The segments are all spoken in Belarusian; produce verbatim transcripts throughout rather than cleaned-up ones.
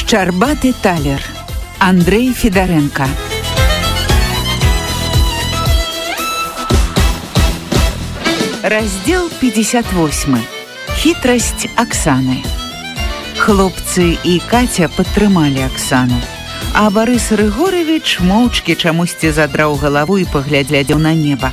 Шчарбаты талер. Андрей Федоренко. Раздел пятьдесят восемь. Хитрасць Аксаны. Хлопцы і Катя падтрымалі Аксану, а Барыс Рыгорович моўчкі чамусьці задраў галаву і паглядзеў на неба.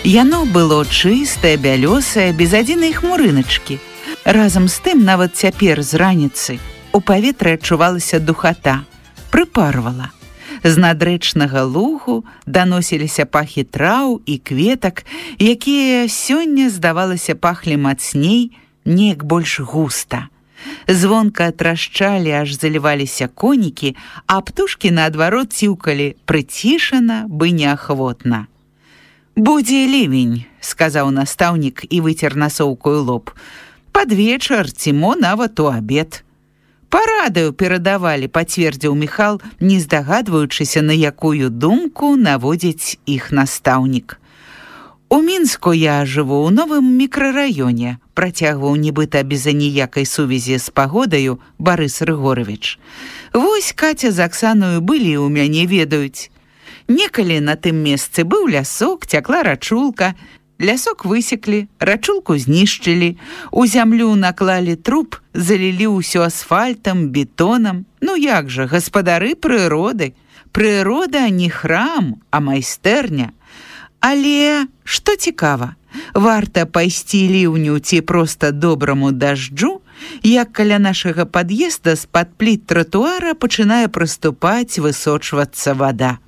Яно было чыстае, бялёсае, без адзінай хмурыначкі. Разам з тым, нават цяпер з раніцы, у паветры адчувалася духата, прыпарвала. З надрэчнага лугу даносіліся пахі траў і кветак, якія сёння, здавалася, пахлі мацней, неяк больш густа. Звонка трашчалі, аж заліваліся конікі, а птушкі наадварот ціўкалі прыцішана, бы неахвотна. «Будзе лівень», — сказаў настаўнік і выцер насоўкаю лоб. «Пад вечар ці мо нават у абед». «Парадаю перадавалі», — пацвердзіў Міхал, не здагадваючыся, на якую думку наводзіць іх настаўнік. «У Мінску я жыву ў новым мікрараёне», — працягваў нібыта без аніякай сувязі з пагодаю Барыс Рыгорович. «Вось Катя з Аксаною былі ў мяне, ведаюць. Некалі на тым месцы быў лясок, цякла рачулка. Лясок высеклі, рачулку знішчылі, у зямлю наклалі труп, залілі ўсё асфальтам, бетонам. Ну як жа, гаспадары прыроды. Прырода не храм, а майстэрня. Але, што цікава, варта пайсці ліўню ці проста добраму дажджу, як каля нашага пад'езда з-пад пліт тратуара пачынае прыступаць, высочвацца вада.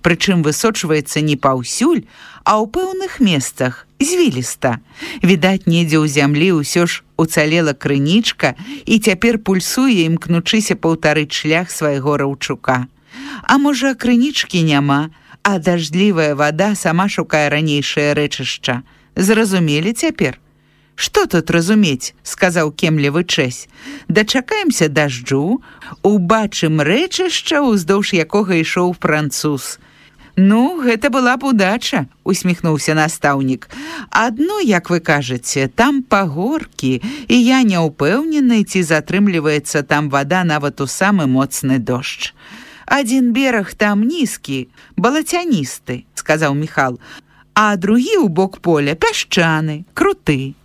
Прычым высочваецца не паўсюль, а ў пэўных месцах, звіліста. Відаць, недзе ў зямлі ўсё ж уцалела крынічка і цяпер пульсуе, імкнучыся паўтарыць шлях свайго раўчука. А можа, крынічкі няма, а дажджлівая вада сама шукае ранейшае рэчышча. Зразумелі цяпер? «Што тут разумець?» — сказаў кемлівы чэсь. «Дачакаемся дажджу, убачым рэчышча, уздоўж якога ішоў француз». «Ну, гэта была б удача», — усміхнуўся настаўнік. «Адно, як вы кажаце, там пагоркі, і я не ўпэўнены, ці затрымліваецца там вада нават у самы моцны дождж. Адзін бераг там нізкі, балацяністы», — сказаў Міхал, «а другі ў бок поля пясчаны, круты.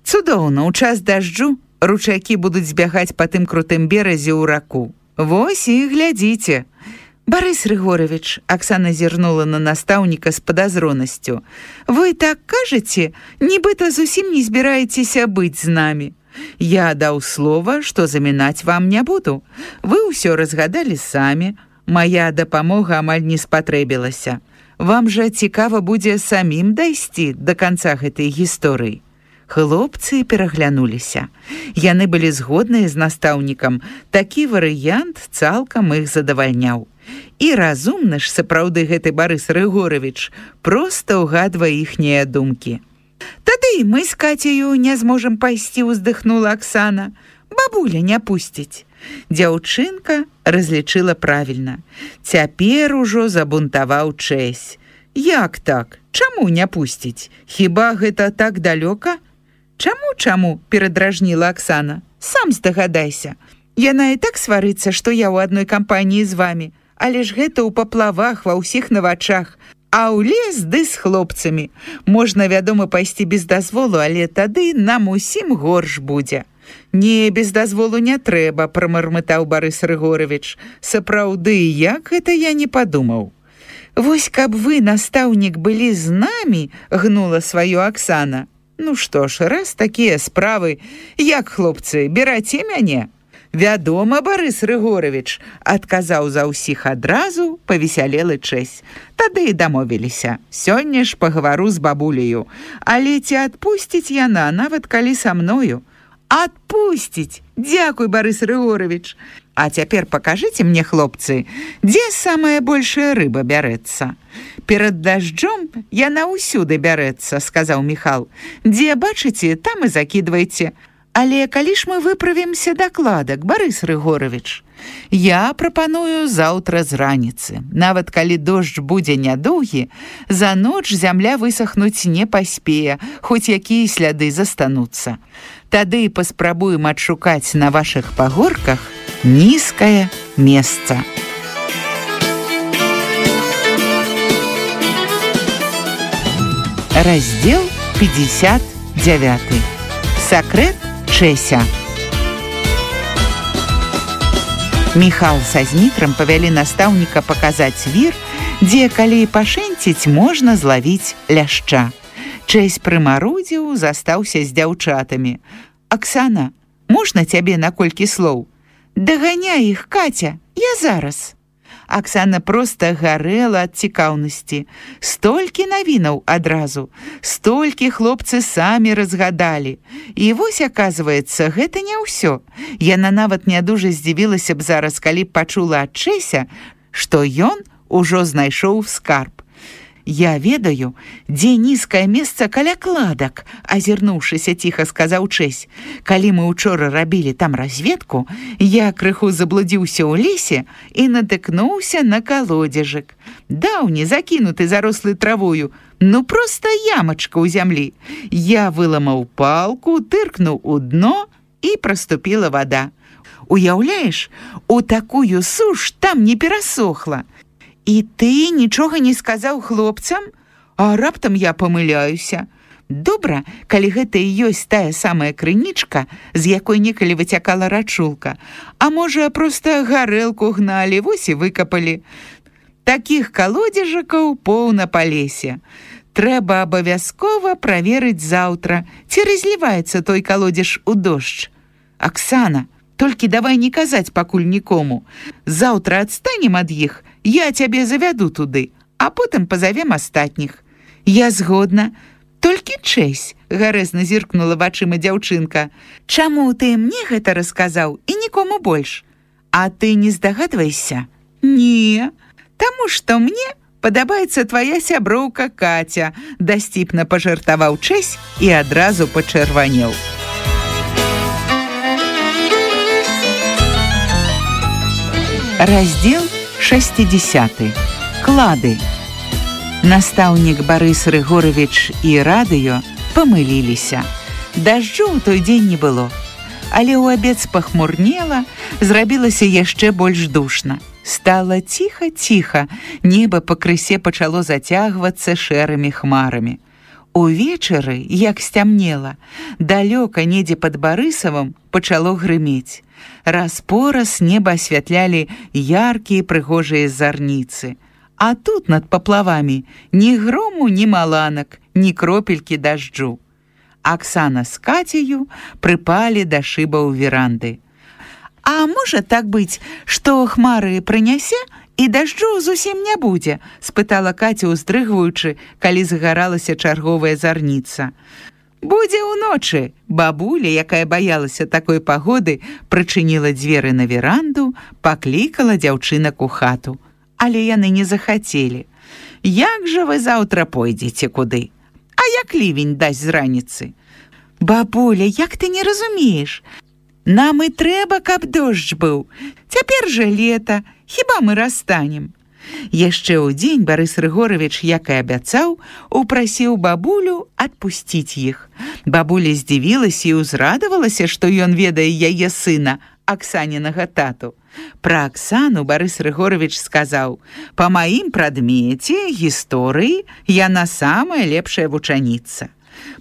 Цудоўна, у час дажджу ручайкі будуць збягаць па тым крутым беразе ў раку. Вось і глядзіце». «Барыс Рыгорович», — Аксана зірнула на настаўніка з падазронасцю, «вы так кажаце, нібыта зусім не збіраецеся быць з намі. Я даў слова, што замінаць вам не буду. Вы ўсё разгадалі самі, мая дапамога амаль не спатрэбілася. Вам жа цікава будзе самім дайсці да канца гэтай гісторыі». Хлопцы пераглянуліся. Яны былі згодныя з настаўнікам. Такі варыянт цалкам іх задавальняў. І разумны ж сапраўды гэты Барыс Рыгорович проста ўгадвае іхнія думкі. «Тады мы з Кацею не зможам пайсці», — уздыхнула Аксана. «Бабуля не пусціць». Дзяўчынка разлічыла правільна. Цяпер ужо забунтаваў чэсь. «Як так? Чаму не пусціць? Хіба гэта так далёка?» «Чаму, чаму?» — перадражніла Аксана. «Сам здагадайся. Яна і так сварыцца, што я ў адной кампаніі з вамі. Але ж гэта ў паплавах, ва ўсіх на вачах. А ў лес ды з хлопцамі. Можна, вядома, пайсці без дазволу, але тады нам усім горш будзе». «Не, без дазволу не трэба», — прамармытаў Барыс Рыгорович. «Сапраўды, як гэта я не падумаў». «Вось каб вы, настаўнік, былі з намі», — гнула сваё Аксана. «Ну што ж, раз такія справы, як, хлопцы, бераце мяне?» «Вядома, Барыс Рыгорович», — адказаў за ўсіх адразу павесялелы чэсь. «Тады і дамовіліся. Сёння ж пагавару з бабуляю. Але ці адпусціць яна, нават калі са мною?» «Адпусціць! Дзякуй, Барыс Рыгорович! А цяпер пакажыце мне, хлопцы, дзе самая большая рыба бярэцца?» «Перад дажджом яна ўсюды бярэцца», — сказаў Міхал. «Дзе бачыце, там і закідвайце. Але калі ж мы выправімся дакладак, Барыс Рыгорович?» «Я прапаную заўтра з раніцы. Нават калі дождж будзе нядоўгі, за ноч зямля высахнуць не паспее, хоць якія сляды застануцца. Тады паспрабуем адшукаць на вашых пагорках нізкае месца. Раздел пятьдесят девять. Сакрэт Чэся. Міхал са Змітрам павялі настаўніка паказаць вір, дзе, калі пашэнціць, можна злавіць ляшча. Чэсь прымарудзіў, застаўся з дзяўчатамі. «Аксана, можна цябе на колькі слоў?» «Даганяй іх, Катя, я зараз». Аксана проста гарэла ад цікаўнасці. Столькі навінаў адразу, столькі хлопцы самі разгадалі. І вось, аказваецца, гэта не ўсё. Яна нават не дужа здзівілася б зараз, калі б пачула ад Чэся, што ён ужо знайшоў скарб. «Я ведаю, дзе нізкае месца каля кладак», азірнуўшыся ціха сказаў Чэсь. «Калі мы учора рабілі там разведку, я крыху заблудзіўся ў лесе і натыкнуўся на калодзежак. Даўні, закінуты зарослы травою, ну проста ямачка ў зямлі. Я выламаў палку, тыркнуў у дно, і праступіла вада. Уяўляеш, у такую суш там не перасохла. І ты нічога не сказаў хлопцам? А раптам я памыляюся. Добра, калі гэта і ёсць тая самая крынічка, з якой некалі выцякала рачулка. А можа, проста гарэлку гналі, вось і выкапалі. Такіх калодзежакаў поўна па лесе. Трэба абавязкова праверыць заўтра, ці разліваецца той калодзеж у дождж. Аксана, толькі давай не казаць пакуль нікому. Заўтра адстанем ад іх, я цябе завяду туды, а потым пазавем астатніх». «Я згодна. Толькі Чэсь», — гарэзна зіркнула вачыма дзяўчынка. «Чаму ты мне гэта расказаў і нікому больш? А ты не здагадвайся?» «Не, таму што мне падабаецца твая сяброўка Катя», — дасціпна пажартаваў Чэсь і адразу пачырванеў. Раздел шестидесятый. Клады. Настаўнік Барыс Рыгорович і радыё памыліліся. Дажджу ў той дзень не было, але ў абед спахмурнела, зрабілася яшчэ больш душна. Стала ціха-ціха, неба пакрысе пачало зацягвацца шэрымі хмарамі. Увечары, як сцямнела, далёка недзе пад Барысавым пачало грымець. Раз-пораз неба асвятлялі яркія прыгожыя зарніцы. А тут над паплавамі ні грому, ні маланак, ні кропелькі дажджу. Аксана з Кацею прыпалі да шыбаў веранды. «А можа так быць, што хмары прынясе, і дажджу зусім не будзе?» — спытала Каця, уздрыгваючы, калі загаралася чарговая зарніца. «Будзе ўночы». Бабуля, якая баялася такой пагоды, прычыніла дзверы на веранду, паклікала дзяўчынак у хату. Але яны не захацелі. «Як жа вы заўтра пойдзеце куды? А як лівень дасць з раніцы?» «Бабуля, як ты не разумееш? Нам і трэба, каб дождж быў. Цяпер жа лета, хіба мы расстанем?» Яшчэ ў дзень Барыс Рыгорович, як і абяцаў, упрасіў бабулю адпусціць іх. Бабуля здзівілася і ўзрадавалася, што ён ведае яе сына, Аксанінага тату. Пра Аксану Барыс Рыгорович сказаў: «Па маім прадмеце, гісторыі, яна самая лепшая вучаніца».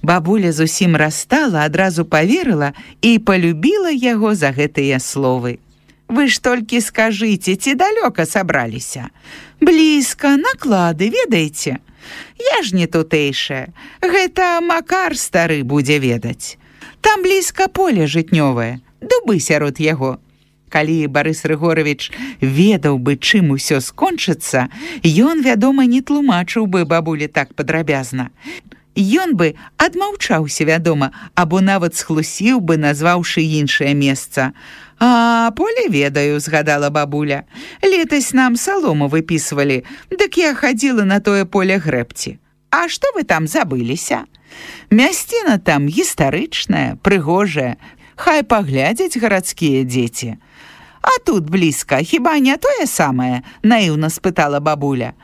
Бабуля зусім расстала, адразу паверыла і палюбіла яго за гэтыя словы. «Вы ж толькі скажыце, ці далёка сабраліся?» «Блізка, наклады, ведаеце?» «Я ж не тутэйшая, гэта Макар стары будзе ведаць. Там блізка поле жытнёвае, дубы сярод яго». Калі Барыс Рыгорович ведаў бы, чым усё скончыцца, ён, вядома, не тлумачыў бы бабулі так падрабязна. Ён бы адмаўчаўся, вядома, або нават схлусіў бы, назваўшы іншае месца. «А поле ведаю», — згадала бабуля. «Летась нам салому выпісвалі, дык я хадзіла на тое поле грэбці. А што вы там забыліся? Мясціна там гістарычная, прыгожая, хай паглядзяць гарадскія дзеці». «А тут блізка, хіба не тое самае?» — наіўна спытала бабуля.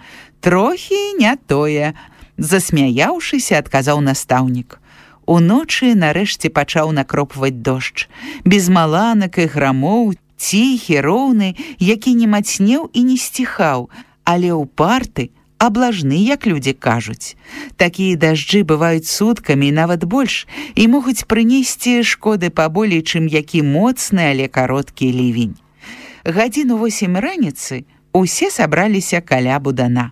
«Трохі не тое», — засмяяўшыся, адказаў настаўнік. Уночы нарэшце пачаў накропваць дождж. Без маланак і грамоў Ціхі, роўны, які не мацнеў і не сціхаў, але ўпарты, аблажны, як людзі кажуць. Такія дажджы бываюць суткамі і нават больш і могуць прынесці шкоды паболей, чым які моцны, але кароткі лівень. Гадзіну восем раніцы усе сабраліся каля будана.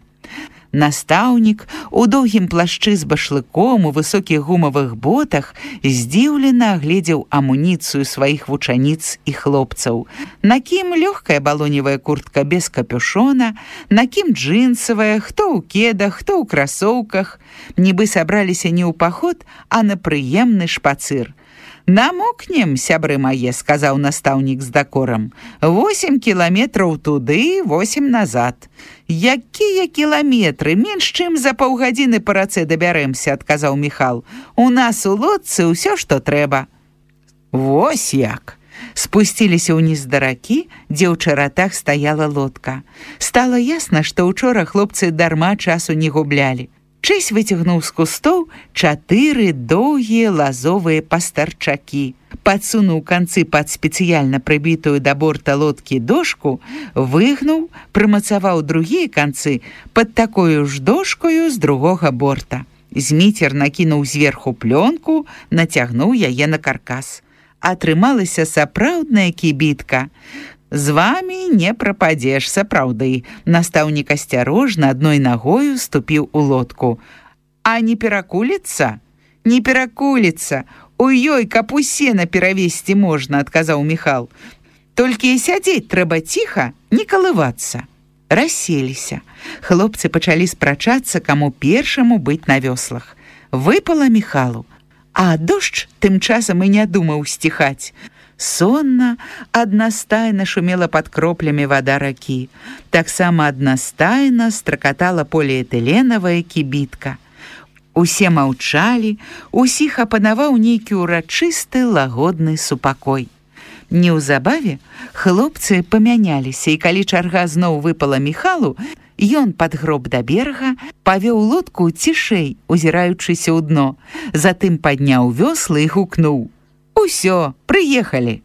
Настаўнік у доўгім плашчы з башлыком, у высокіх гумавых ботах здзіўлена агледзеў амуніцыю сваіх вучаніц і хлопцаў. На кім лёгкая балоневая куртка без капюшона, на кім джинсавая, хто ў кедах, хто ў красоўках. Нібы сабраліся не ў паход, а на прыемны шпацыр. «Намокнем, сябры мае», — сказаў настаўнік з дакорам. «Восем кіламетраў туды, восем назад». «Якія кіламетры? Менш чым за паўгадзіны па рацэ дабярэмся», — адказаў Міхал. «У нас у лодцы ўсё, што трэба». «Вось як!» Спусціліся ўніз да ракі, дзе ў чаратах стаяла лодка. Стала ясна, што ўчора хлопцы дарма часу не гублялі. Чэсь выцягнуў з кустоў чатыры доўгія лазовыя пастарчакі. Падсунуў канцы пад спецыяльна прыбітую да борта лодкі дошку, выгнуў, прымацаваў другія канцы пад такою ж дошкою з другога борта. Зміцер накінуў зверху плёнку, нацягнуў яе на каркас. Атрымалася сапраўдная кібітка. «З вамі не прападзеш, сапраўды». Настаўнік асцярожна адной нагою ступіў у лодку. «А не перакуліцца?» «Не перакуліцца. У ёй каб у сена перавесці можна», — адказаў Міхал. «Толькі сядзець трэба ціха, не калывацца». Расселіся. Хлопцы пачалі спрачацца, каму першаму быць на вёслах. Выпала Міхалу, а дождж тым часам і не думаў сціхаць. Сонна, аднастайна шумела пад кроплямі вада ракі. Таксама аднастайна стракатала поліэтыленавая кібітка. Усе маўчалі, усіх апанаваў нейкі ўрачысты лагодны супакой. Неўзабаве хлопцы памяняліся, і калі чарга зноў выпала Міхалу, ён падгроб да берага, павёў лодку цішэй, узіраючыся ў дно, затым падняў вёслы і гукнуў: «Усё, прыехалі».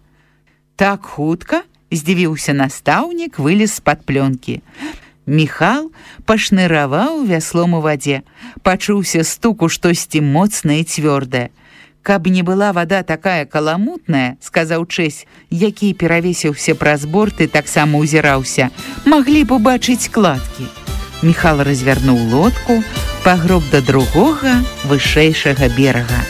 «Так хутка?» — здзівіўся настаўнік, вылез з-пад плёнкі. Міхал пашныраваў вяслом у вадзе. Пачуўся стук у штосьці моцнае і цвёрдае. «Каб не была вада такая каламутная, — сказаў Чэсь, які перавесіўся праз борт і таксама ўзіраўся, — маглі б убачыць кладкі». Міхал развярнуў лодку, пагроб да другога, вышэйшага берага.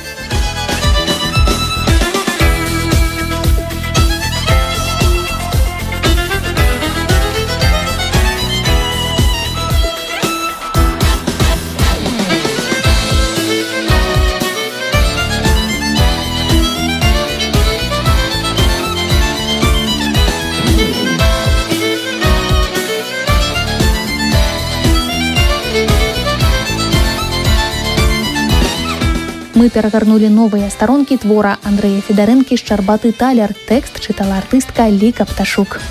Мы перагарнулі новыя старонкі твора Андрэя Федарэнкі «Шчарбаты талер». Тэкст чытала артыстка Ліка Пташук.